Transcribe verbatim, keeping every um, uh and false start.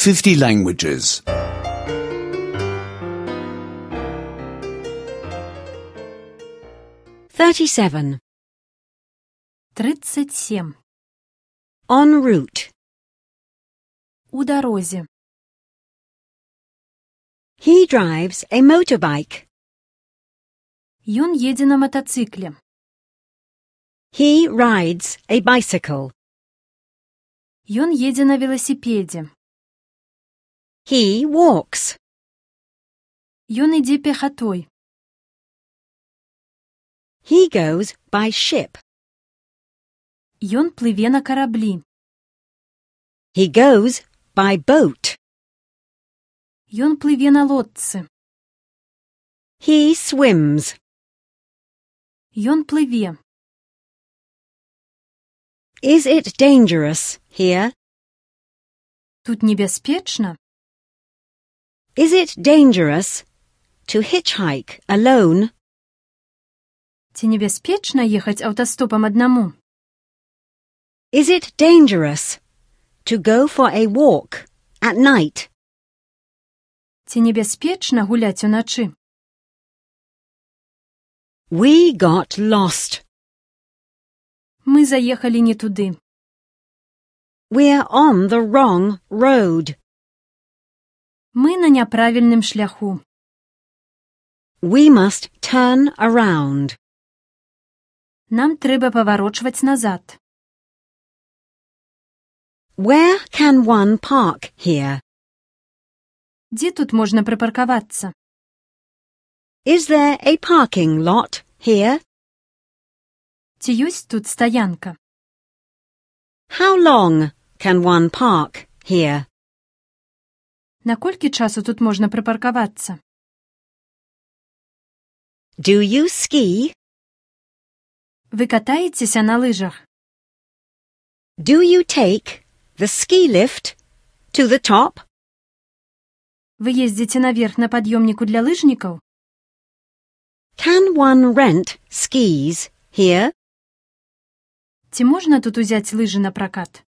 fifty languages. thirty-seven. тридцать семь. En route. У дорозе. He drives a motorbike. Ён едзе на матацыкле. He rides a bicycle. Ён едзе на веласіпедзе. He walks. Ён ідзе пехатой. He goes by ship. Ён плыве на караблі. He goes by boat. Ён плыве на лодцы. He swims. Ён плыве. Is it dangerous here? Тут небяспечна? Is it dangerous to hitchhike alone? Ці небяспечна ехаць аўтастопам аднаму? Is it dangerous to go for a walk at night? Ці небяспечна гуляць уначы? We got lost. Мы заехалі не туды. We're on the wrong road. Мы на няправільным шляху. We must turn around. Нам трэба паварочваць назад. Where can one park here? Дзе тут можна прыпаркавацца? Is there a parking lot here? Ці ёсць тут стаянка? How long can one park here? Наколькі часу тут можна прыпаркавацца? Do you ski? Вы катаецеся на лыжах? Do you take the ski lift to the top? Вы ездзіце наверх на пад'ёмніку для лыжнікаў? Can one rent skis here? Ці можна тут узяць лыжы на пракат?